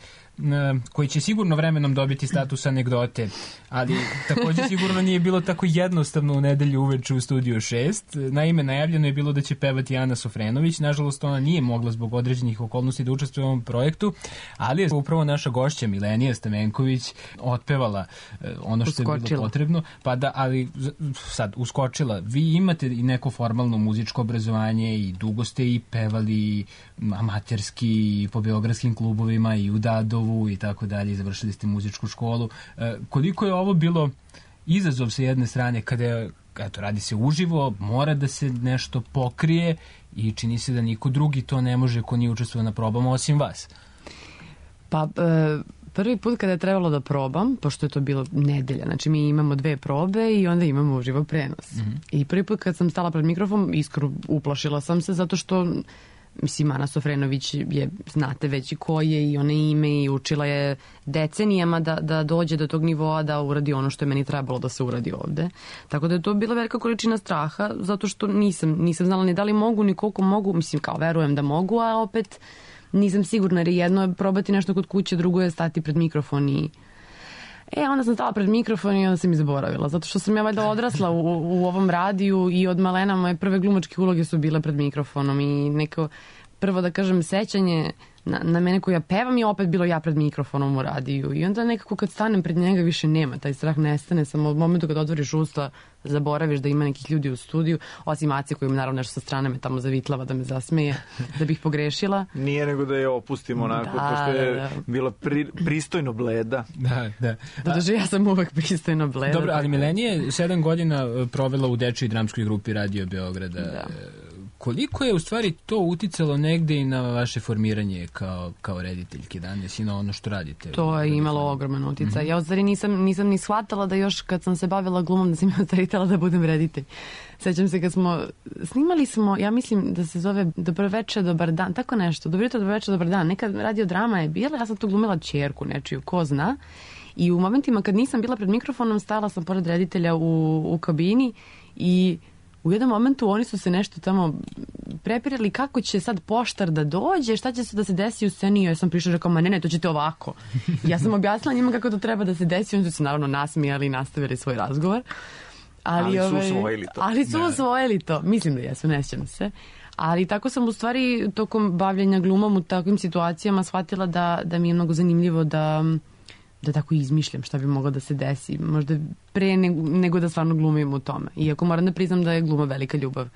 koji će sigurno vremenom dobiti status anegdote, ali također sigurno nije bilo tako jednostavno u nedelju uveče u Studiju 6. Naime, najavljeno je bilo da će pevati Ana Sofrenović. Nažalost, ona nije mogla zbog određenih okolnosti da učestvuje u ovom projektu, ali je upravo naša gošća Milenija Stamenković otpevala ono što je bilo potrebno. Pa da, ali sad uskočila. Vi imate i neko formalno muzičko obrazovanje i dugo ste i pevali amaterski i po beogradskim klubovima i u Dadovu i tako dalje, završili ste muzičku školu. Koliko je ovo bilo izazov sa jedne strane kada radi se uživo, mora da se nešto pokrije i čini se da niko drugi to ne može ko nije učestvovao na probama osim vas? Pa prvi put kada je trebalo da probam, pošto je to bilo nedelja, znači mi imamo 2 probe i onda imamo uživo prenos. I prvi put kad sam stala pred mikrofon, iskreno uplašila sam se zato što mislim, Ana Sofrenović je, znate već i ko je i ona ime i učila je decenijama da dođe do tog nivoa da uradi ono što je meni trebalo da se uradi ovde. Tako da je to bila velika količina straha, zato što nisam znala ni da li mogu, ni koliko mogu, mislim kao verujem da mogu, a opet nisam sigurna jer jedno je probati nešto kod kuće, drugo je stati pred mikrofon i... onda sam stala pred mikrofon i onda sam i zaboravila, zato što sam ja valjda odrasla u ovom radiju i od malena moje prve glumačke uloge su bile pred mikrofonom i neko, prvo da kažem, sećanje na mene koju ja pevam je opet bilo ja pred mikrofonom u radiju i onda nekako kad stanem pred njega više nema, taj strah nestane, samo od momentu kad otvoriš usta zaboraviš da ima nekih ljudi u studiju, osim Aci koji im naravno nešto sa strane me tamo zavitlava da me zasmeje, da bih pogrešila. Nije nego da je opustimo onako, pošto je bila pristojno bleda. Da. Doduše, ja sam uvek pristojno bleda. Dobro, ali Milenija je 7 godina provela u dečijoj dramskoj grupi Radio Beograda. Da. Koliko je u stvari to uticalo negde i na vaše formiranje kao rediteljke danas i na ono što radite? To je imalo ogroman uticaj. Ja u stvari nisam ni shvatala da još kad sam se bavila glumom da sam ja u stvari htjela da budem reditelj. Sećam se kad snimali smo, ja mislim da se zove Dobroveče, dobar dan, tako nešto, Dobroveče, dobar dan. Neka radiodrama je bila, ja sam tu glumila ćerku nečiju, ko zna. I u momentima kad nisam bila pred mikrofonom, stala sam pored reditelja u kabini i u jednom momentu oni su se nešto tamo prepirali kako će sad poštar da dođe, šta će se da se desi u sceni. Ja sam prišla i rekao, ne, to ćete ovako. Ja sam objasnila njima kako to treba da se desi, oni su se naravno nasmijali i nastavili svoj razgovor. Ali su usvojili to. Ali su usvojili to. Mislim da jesu, ne sjećam se. Ali tako sam u stvari tokom bavljenja glumom u takvim situacijama shvatila da mi je mnogo zanimljivo da tako izmišljam šta bi moglo da se desi. Možda pre nego da stvarno glumim u tome. Iako moram da priznam da je gluma velika ljubav.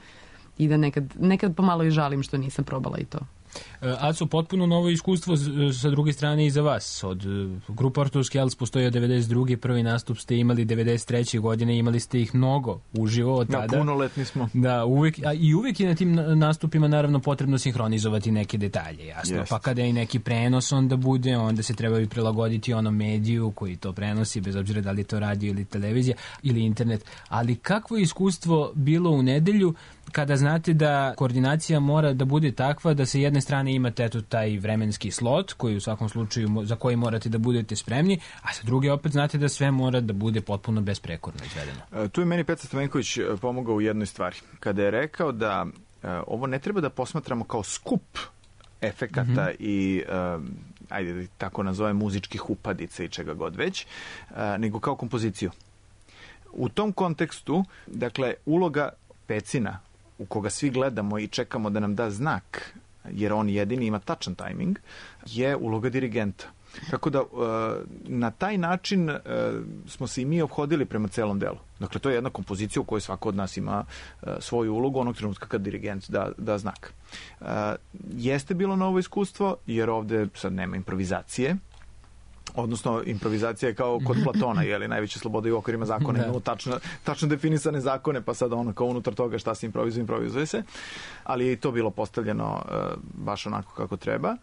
I da nekad pomalo i žalim što nisam probala i to. Aco, potpuno novo iskustvo sa druge strane i za vas. Od grupa Ortovski Jels postoji od 92. Prvi nastup ste imali 93. godine, imali ste ih mnogo uživo od tada. Da, punoletni smo. Da, uvek je na tim nastupima naravno potrebno sinhronizovati neke detalje, jasno. Jest. Pa kada je i neki prenos onda bude, onda se treba i prilagoditi onom mediju koji to prenosi, bez obzira da li je to radio ili televizija ili internet. Ali kakvo je iskustvo bilo u nedelju kada znate da koordinacija mora da bude takva da sa jedne strane imate taj vremenski slot koji u svakom slučaju za koji morate da budete spremni, a sa druge opet znate da sve mora da bude potpuno besprekorno izvedeno. Tu je meni Petar Stamenković pomogao u jednoj stvari. Kada je rekao da ovo ne treba da posmatramo kao skup efekata i ajde da tako nazovem muzičkih upadica i čega god već, nego kao kompoziciju. U tom kontekstu, dakle, uloga Pecina u koga svi gledamo i čekamo da nam da znak jer on jedini ima tačan tajming, je uloga dirigenta. Tako da na taj način smo se i mi ophodili prema celom delu. Dakle, to je jedna kompozicija u kojoj svako od nas ima svoju ulogu onog trenutka kad dirigent da znak. Jeste bilo novo iskustvo, jer ovde sad nema improvizacije. Odnosno, improvizacija je kao kod Platona, je li, najveća sloboda i u okvirima zakona, imamo tačno definisane zakone, pa sad ono kao unutar toga šta se improvizuje se, ali je i to bilo postavljeno baš onako kako treba.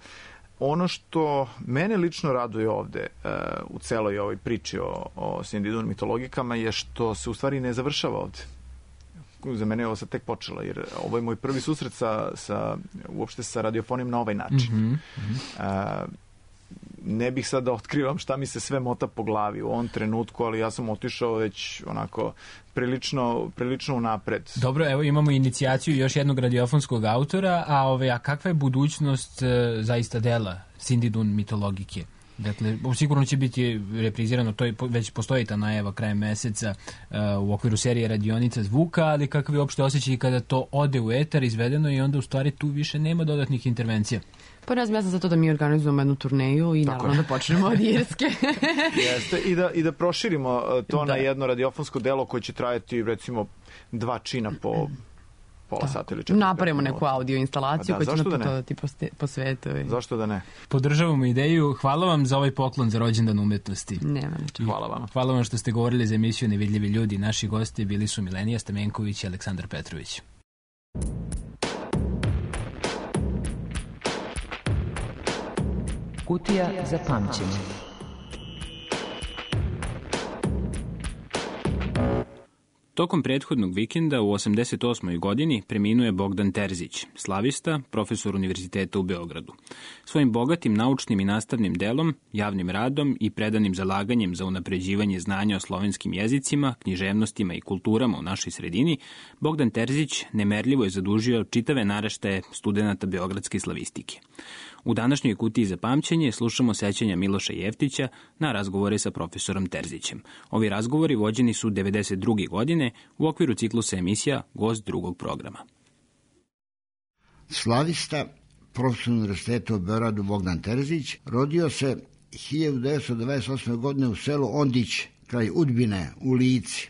Ono što mene lično raduje ovde u celoj ovoj priči o Cindy Dunn mitologikama je što se u stvari ne završava ovde. Za mene je ovo sad tek počelo, jer ovo je moj prvi susret uopšte sa radiofonijom na ovaj način. Ne bih sad da otkrivam šta mi se sve mota po glavi u ovom trenutku, ali ja sam otišao već onako prilično unapred. Dobro, evo imamo inicijaciju još jednog radiofonskog autora, a kakva je budućnost zaista dela Cindy Dunn mitologike? Dakle, sigurno će biti reprizirano, to već postoji ta najava krajem meseca u okviru serije Radionica zvuka, ali kakav je uopšte osjećaj kada to ode u etar, izvedeno i onda u stvari tu više nema dodatnih intervencija? Pa ja sam za to da mi organizujemo jednu turneju i naravno da počnemo od Irske. Jeste, i da proširimo to na jedno radiofonsko delo koje će trajati recimo 2 čina po pola sata ili 4. Napravimo neku audio instalaciju koja će naputovati po svetu. Zašto da ne? Podržavamo ideju. Hvala vam za ovaj poklon za rođendan umetnosti. Nema ničeg. Hvala vam. Hvala vam što ste govorili za emisiju Nevidljivi ljudi. Naši gosti bili su Milenija Stamenković i Aleksandar Petrović. Kutija za pamćenje. Tokom prethodnog vikenda u 88. godini preminuo je Bogdan Terzić, slavista, profesor univerziteta u Beogradu. Svojim bogatim naučnim i nastavnim delom, javnim radom i predanim zalaganjem za unapređivanje znanja o slovenskim jezicima, književnostima i kulturama u našoj sredini, Bogdan Terzić nemerljivo je zadužio čitave naraštaje studenata beogradske slavistike. U današnjoj kutiji za pamćenje slušamo sećanja Miloša Jeftića na razgovore sa profesorom Terzićem. Ovi razgovori vođeni su 1992. godine u okviru ciklusa emisija Gost drugog programa. Slavista, profesor univerziteta u Beogradu Bogdan Terzić, rodio se 1928. godine u selu Ondić, kraj Udbine, u Lici.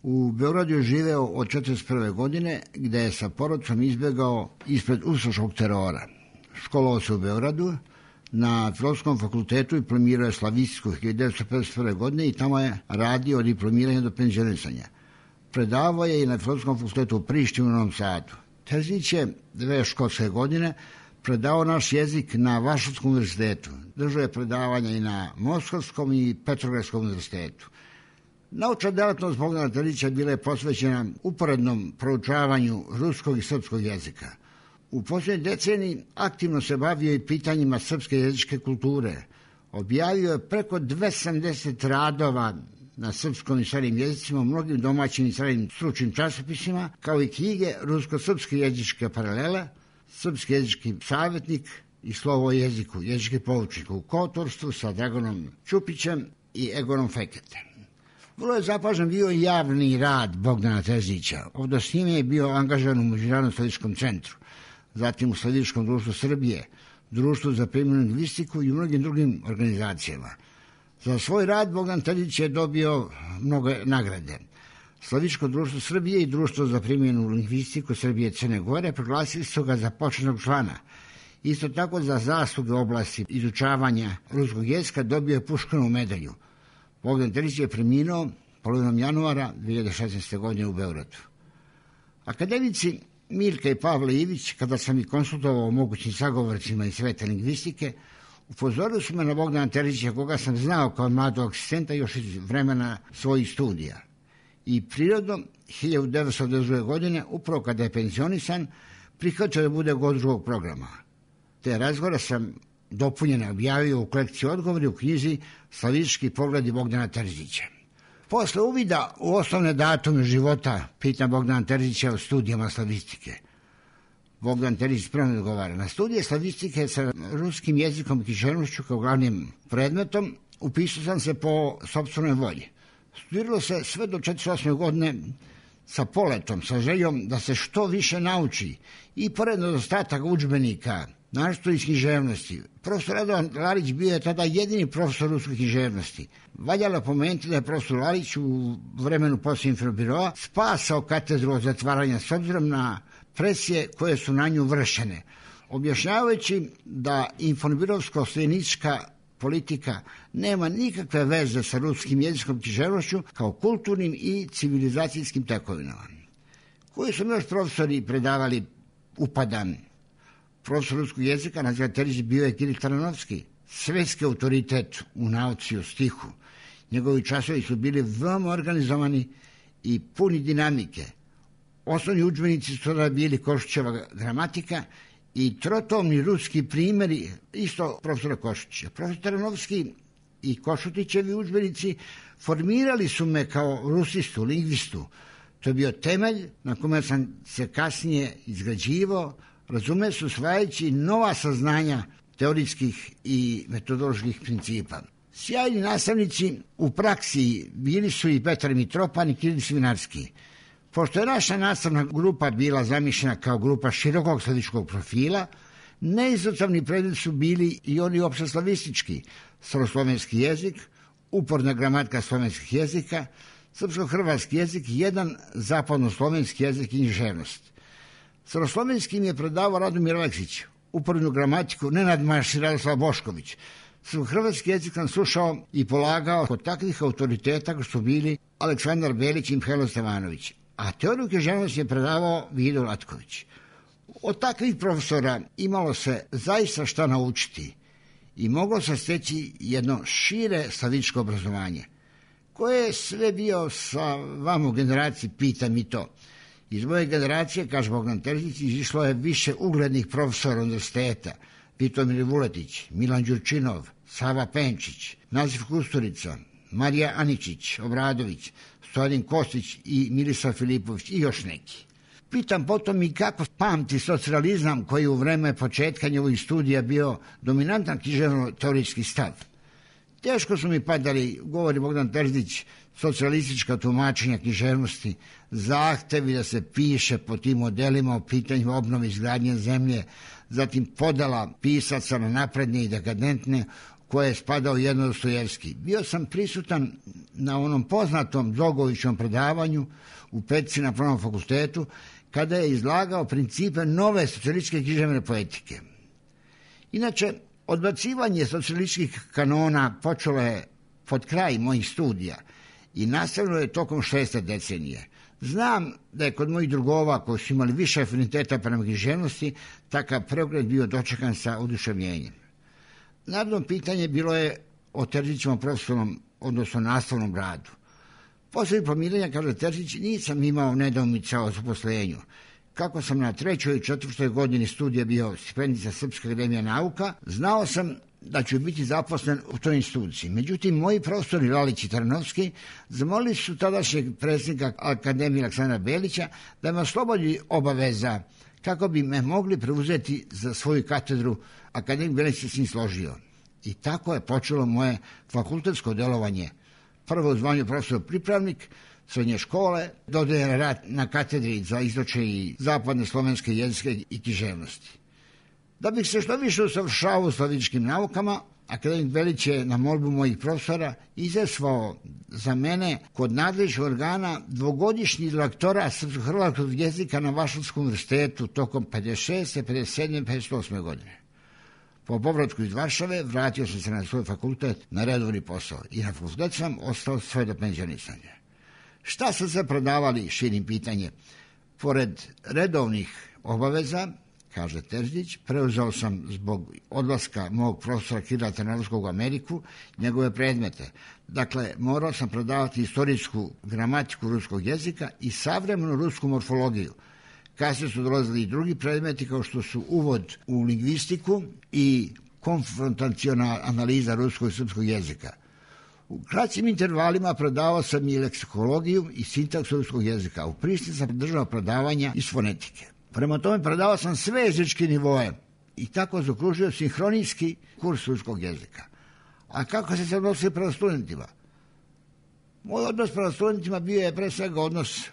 U Beogradu je živeo od 1941. godine, gde je sa porodicom izbegao ispred ustaškog terora. Školovao se u Beogradu, na Filozofskom fakultetu i diplomirao je slavistiku 1951. godine i tamo je radio od diplomiranja do penzionisanja. Predavao je i na Filozofskom fakultetu u Prištini u Novom Sadu. Terzić je 2 školske godine predavao naš jezik na Varšavskom univerzitetu. Držao je predavanja i na Moskovskom i Petrogradskom univerzitetu. Naučna delatnost Bogdana Terzića bila je posvećena uporednom proučavanju ruskog i srpskog jezika. U posljednjoj deceniji aktivno se bavio i pitanjima srpske jezičke kulture. Objavio je preko 270 radova na srpskom i stranim jezicima, mnogim domaćim i stranim stručnim časopisima, kao i knjige rusko-srpske jezičke paralele, srpski jezički savjetnik i slovo o jeziku, jezički poučnik u koautorstvu sa Dragonom Ćupićem i Egonom Feketem. Vrlo je zapažen bio i javni rad Bogdana Terzića. Ovdje s njime je bio angažan u Međunarodnom slavističkom centru, zatim u Slavističkom društvu Srbije, Društvu za primjenu lingvistiku i u mnogim drugim organizacijama. Za svoj rad Bogdan Terzić je dobio mnoge nagrade. Slavističko društvo Srbije i Društvo za primjenu lingvistiku Srbije i Crne Gore proglasili su ga za počasnog člana. Isto tako za zasluge u oblasti izučavanja ruskog jezika dobio je Puškinovu medalju. Bogdan Terzić je preminuo polovinom januara 2016. godine u Beogradu. Akademici Mirka i Pavle Ivić, kada sam ih konsultovao o mogućim sagovorcima iz sveta lingvistike, upozorili su me na Bogdana Terzića, koga sam znao kao mladog asistenta još iz vremena svojih studija. I prirodno, 1992. godine, upravo kada je penzionisan, prihvatio da bude gost drugog programa. Te razgovore sam dopunjene objavio u kolekciji odgovori u knjizi Slavistički pogledi Bogdana Terzića. Posle uvida u osnovne datume života pitam Bogdana Terzića o studijama slavistike. Bogdan Terzić spremno odgovara. Na studije slavistike sa ruskim jezikom i književnošću kao glavnim predmetom upisao sam se po sopstvenoj volji. Studiralo se sve do 48. godine sa poletom, sa željom da se što više nauči i pored nedostataka udžbenika, naročito iz književnosti. Profesor Radovan Lalić bio je tada jedini profesor ruske književnosti. Valjalo pomenuti da je profesor Lalić u vremenu poslije Infobiroa spasao katedru od zatvaranja s obzirom na presije koje su na nju vršene, objašnjavajući da infobirovsko-stojenička politika nema nikakve veze sa ruskim jezikom književnošću kao kulturnim i civilizacijskim tekovinama. Koji su još profesori predavali upadan? Profesor ruskog jezika Naziva Terzić bio je Kiril Taranovski, svetski autoritet u nauci o stihu. Njegovi časovi su bili veoma organizovani i puni dinamike. Osnovni udžbenici su tada bili Košićeva gramatika i trotomni ruski primjeri isto profesora Košića. Profesor Taranovski i Košutićevi udžbenici formirali su me kao rusistu, lingvistu. To je bio temelj na kome sam se kasnije izgrađivao, razume se usvajajući nova saznanja teorijskih i metodoloških principa. Sjajni nastavnici u praksi bili su i Petar Mitropan i Kiril Svinarski. Pošto je naša nastavna grupa bila zamišljena kao grupa širokog sledičkog profila, neizostavni predmet su bili i oni opšteslavistički, staroslovenski jezik, uporna gramatika slovenskih jezika, srpsko-hrvatski jezik i jedan zapadnoslovenski jezik i književnost. Staroslovenskim je predavao Radomir Aleksić, upornu gramatiku Nenad Maš i Radoslav Bošković. Hrvatski jezik sam slušao i polagao kod takvih autoriteta koji su bili Aleksandar Belić i Mihajlo Stevanović, a teoriju književnosti je predavao Vido Latković. Od takvih profesora imalo se zaista šta naučiti i moglo se steći jedno šire slavičko obrazovanje. Ko je sve bio sa vama u generaciji, pitam i to. Iz moje generacije, kaže Bogdan Terzić, izišlo je više uglednih profesora univerziteta, Vitomir Vuletić, Milan Đurčinov, Sava Penčić, Nazif Kusturica, Marija Aničić, Obradović, Stojadin Kostić i Milisav Filipović i još neki. Pitam potom i kako pamti socijalizam koji u vreme početka njegovih studija bio dominantan književno-teorijski stav. Teško su mi padali, govori Bogdan Terzić, socijalistička tumačenja književnosti, zahtevi da se piše po tim modelima o pitanju obnove izgradnje zemlje, zatim podela pisaca na napredne i dekadentne, koje je spadao jedno Dostojevski. Bio sam prisutan na onom poznatom Drogovićevom predavanju u Petici na Pravnom fakultetu, kada je izlagao principe nove socijalističke književne poetike. Inače, odbacivanje socijalističkih kanona počelo je pod kraj mojih studija i nastavilo je tokom 6. decenije. Znam da je kod mojih drugova koji su imali više afiniteta prema književnosti takav preokret bio dočekan sa oduševljenjem. Naravno, pitanje bilo je o Terzićevom profesionalnom, odnosno nastavnom radu. Posle diplomiranja, kaže Terzić, nisam imao nedoumica o zaposlenju. Kako sam na 3. i 4. godini studija bio stipendista Srpske akademije nauka, znao sam da ću biti zaposlen u toj instituciji. Međutim, moji profesori Lalić i Taranovski zamolili su tadašnjeg predsjednika Akademije Aleksandra Belića da me oslobodi obaveza kako bi me mogli preuzeti za svoju katedru. Akademik Belić se s njim složio. I tako je počelo moje fakultetsko delovanje. Prvo u zvanju profesor pripravnik srednje škole, dodeljen rad na katedri za istočne i zapadne slovenske jezike i književnosti. Da bih se što više usavršavao u slavičkim naukama, akademik Belić je na molbu mojih profesora izazvao za mene kod nadležnih organa dvogodišnji lektorat srpsko-hrvatskog jezika na Varšavskom univerzitetu tokom 56., 57., 58. godine. Po povratku iz Varšave vratio sam se na svoj fakultet na redovni posao i na fakultet sam ostao sve do penzionisanja. Šta su se predavali, širim pitanje? Pored redovnih obaveza, kaže Terzić, preuzeo sam zbog odlaska mog profesora Kirila Taranovskog u Ameriku njegove predmete. Dakle, morao sam predavati istorijsku gramatiku ruskog jezika i savremenu rusku morfologiju. Kasnije su dolazili i drugi predmeti kao što su uvod u lingvistiku i konfrontaciona analiza ruskog i srpskog jezika. U kraćim intervalima predavao sam i leksikologiju i sintaksu ruskog jezika. U Prištini sam držao predavanja iz fonetike. Prema tome predavao sam sve jezičke nivoe i tako zaokružio sinhronijski kurs ruskog jezika. A kako se odnosio prema studentima? Moj odnos prema studentima bio je pre svega odnos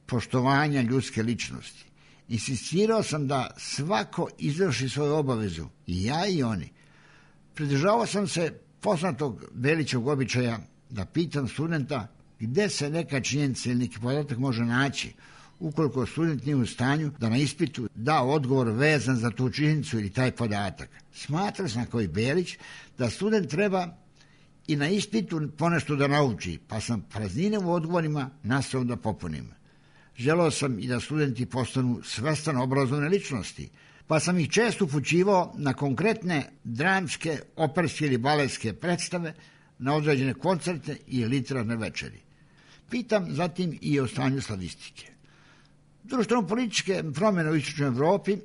poštovanja ljudske ličnosti. Insistirao sam da svako izvrši svoju obavezu, i ja i oni. Pridržavao sam se poznatog Belićevog običaja da pitam studenta gde se neka činjenica ili neki podatak može naći, ukoliko student nije u stanju da na ispitu da odgovor vezan za tu činjenicu ili taj podatak. Smatrao sam kao i Belić da student treba i na ispitu ponešto da nauči, pa sam praznine u odgovorima nastavio da popunim. Želeo sam i da studenti postanu svestan obrazovne ličnosti, pa sam ih često upućivao na konkretne dramske, operske ili baletske predstave, na određene koncerte i literarne večeri. Pitam zatim i o stanju slavistike. Društveno-političke promjene u istočnoj Evropi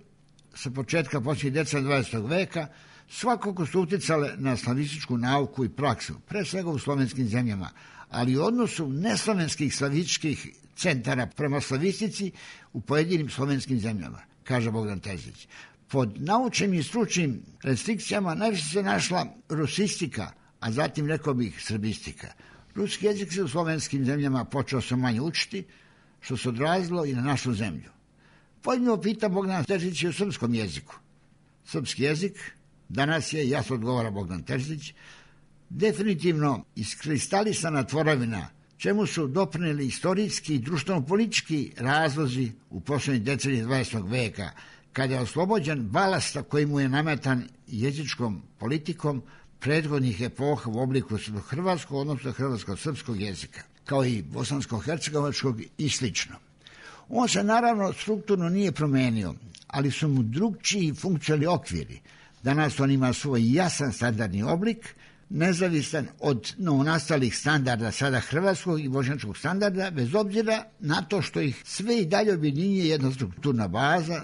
sa početka posljednjih decenija 20. veka svakako su uticale na slavističku nauku i praksu, pre svega u slovenskim zemljama, ali u odnosu neslovenskih slavističkih centara prema slavistici u pojedinim slovenskim zemljama, kaže Bogdan Terzić. Pod naučnim i stručnim restrikcijama najviše se našla rusistika, a zatim rekao bih srbistika. Ruski jezik se u slovenskim zemljama počeo se manje učiti, što se odrazilo i na našu zemlju. Pojedino pita Bogdan Terzić i o srpskom jeziku. Srpski jezik danas je, jasno odgovara Bogdan Terzić, definitivno iskristalisana tvorevina, čemu su doprineli istorijski i društveno-politički razlozi u poslednjih deceniji 20. veka, kada je oslobođen balasta koji mu je nametan jezičkom politikom prethodnih epoha u obliku hrvatskog, odnosno hrvatsko-srpskog jezika, kao i bosansko-hercegovačkog i slično. On se naravno strukturno nije promenio, ali su mu drugčiji funkcionalni okviri. Danas on ima svoj jasan standardni oblik, nezavisan od novonastalih standarda sada hrvatskog i bošnjačkog standarda, bez obzira na to što ih sve i dalje objedinjuje jedna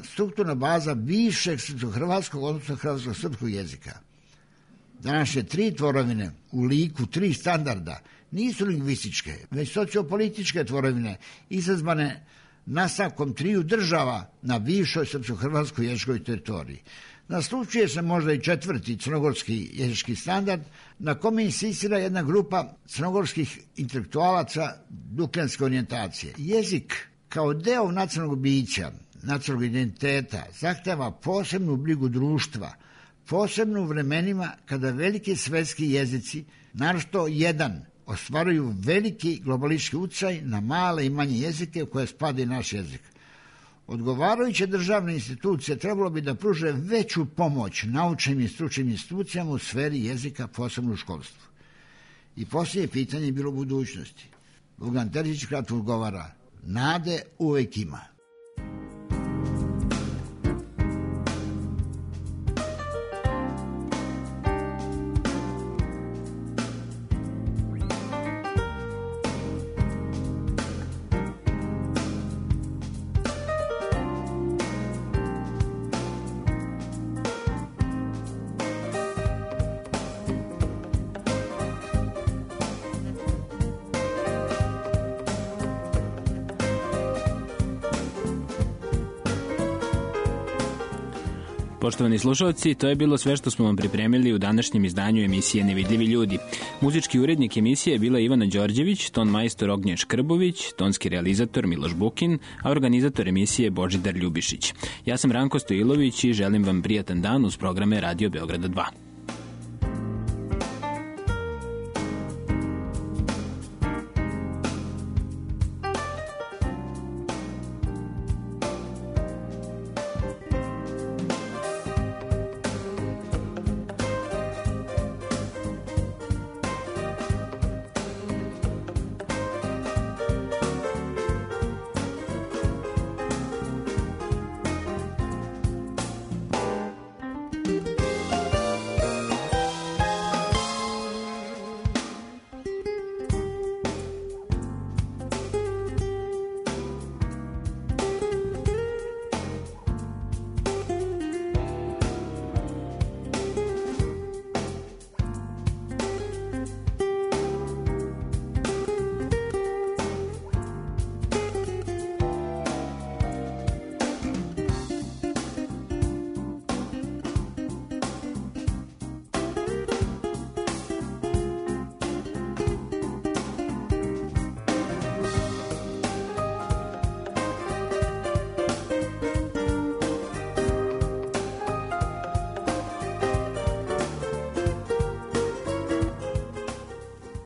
strukturna baza bivšeg srpsko-hrvatskog, odnosno hrvatsko-srpskog jezika. Današnje tri tvorevine u liku tri standarda nisu lingvističke, već sociopolitičke tvorevine izazvane nastavkom triju država na bivšoj srpsko-hrvatskoj jezičkoj teritoriji. Naslučuje se možda i četvrti crnogorski jezički standard, na kome insistira jedna grupa crnogorskih intelektualaca dukljanske orijentacije. Jezik kao deo nacionalnog bića, nacionalnog identiteta, zahteva posebnu brigu društva, posebno u vremenima kada veliki svetski jezici, naročito jedan, ostvaruju veliki globalistički uticaj na male i manje jezike u koje spada i naš jezik. Odgovarajuće državne institucije trebalo bi da pruže veću pomoć naučnim i stručnim institucijama u sferi jezika, posebno u školstvu. I posljednje pitanje je bilo u budućnosti. Bogdan Terzić kratko odgovara: nade uvek ima. Poštovani slušalci, to je bilo sve što smo vam pripremili u današnjem izdanju emisije Nevidljivi ljudi. Muzički urednik emisije je bila Ivana Đorđević, ton majstor Ognjen Škrbović, tonski realizator Miloš Bukin, a organizator emisije Božidar Ljubišić. Ja sam Ranko Stojilović i želim vam prijatan dan uz programe Radio Beograda 2.